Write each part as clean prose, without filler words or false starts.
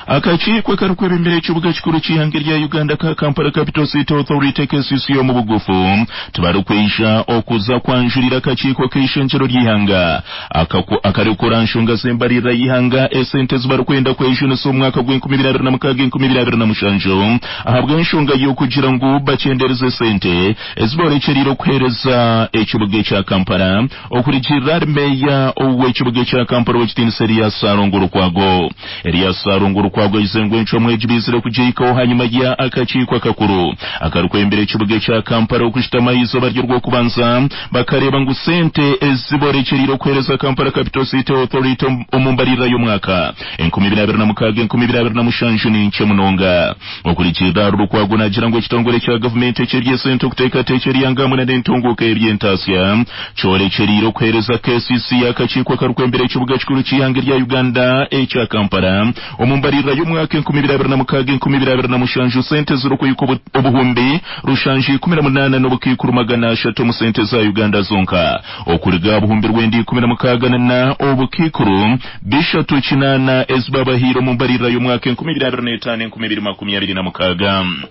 Akakiiko karikwebembera ekibuga kikuru ky'ihanga rya Uganda ka Kampala Capital City Authority KCCA omu bugufu tibarikwija okuza kwanjurira akakiiko k'eishengyero ry'ihanga akarikukora nshonga z'embaririra y'ihanga esente ezi barikwenda kwejunisa omu mwaka gw'enkumi ibiri abiri na mukaaga enkumi ibiri abiri na mushanju ahabw'enshonga y'okugira ngu bakyenderize esente ezi borekyereire okuheereza ekibuga ekya Kampala okurugirira ahari meeya ow'ekibuga ekya Kampala ow'ekitiinisa Erias Ssalongo Lukwago. Erias Ssalongo Lukwago agize ngu encwamu egi baizire kugihikaho hanyima ya akakiiko akakuru akarikwembera ekibuga ekya Kampala okushutama aha izooba ry'orwokubanza bakareeba ngu sente ezi borekyereire okuheereza Kampala Capital City Authority omu mbaririra y'omwaka 2026, 2027 ni nkye munonga. Okurugirira ahari Lukwago naagira ngu ekitongore kya gavumenti eky'eby'esente okuteekateekyera eihanga hamwe na n'entunguuka y'eby'entaasya kyorekyereire okuheereza KCC akakiiko akarikwembera ekibuga kikuru ky'eihanga erya Uganda ekya Kampala omu mbaririra y'omwaka 2026, 2027 sente zirikuhika obuhumbi rushanju ikumi na munaana n'obukaikuru magana ashatu omu sente za Uganda zonka okuruga aha buhumbi rwenda ikumi na mukaaga na na obukaikuru bishatu kinaana ezi babahaire omu mbaririra y'omwaka 2025, 2026.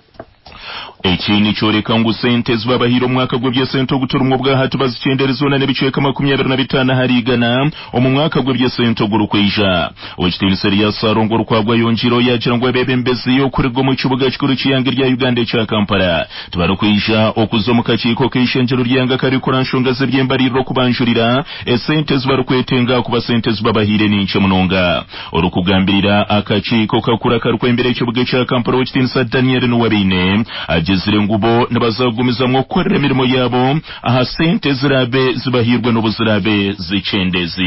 Eki nikyoreka ngu sente ezi babahaire omu mwaka gw'eby'esente oguturimu obwahati bazikyendere zoona n'ebicweka 25 ahari igana omu mwaka gw'eby'esente ogurikwija. Ow'ekitiinisa Erias Ssalongo Lukwago ayongiireho yaagira ngu abeebembezi okuruga omu kibuga kikuru ky'eihanga erya Uganda ekya Kampala tibarikwija okuza omu kakiiko k'eishengyero ry'eihanga akarikukora nshonga z'eby'embaririra okubanjurira esente ezi barikwetenga ahakuba sente ezi babahaire ni nkye munonga. Orikugambirira akakiiko kakuru akarikwembera ekibuga ekya Kampala Owekitiinisa Daniel Nuwabeine agizire ngu bo nibaza kugumizamu okukorera emirimo yaabo aha sente eziraabe zibahairwe n'obu ziraabe zikyendeziibwe.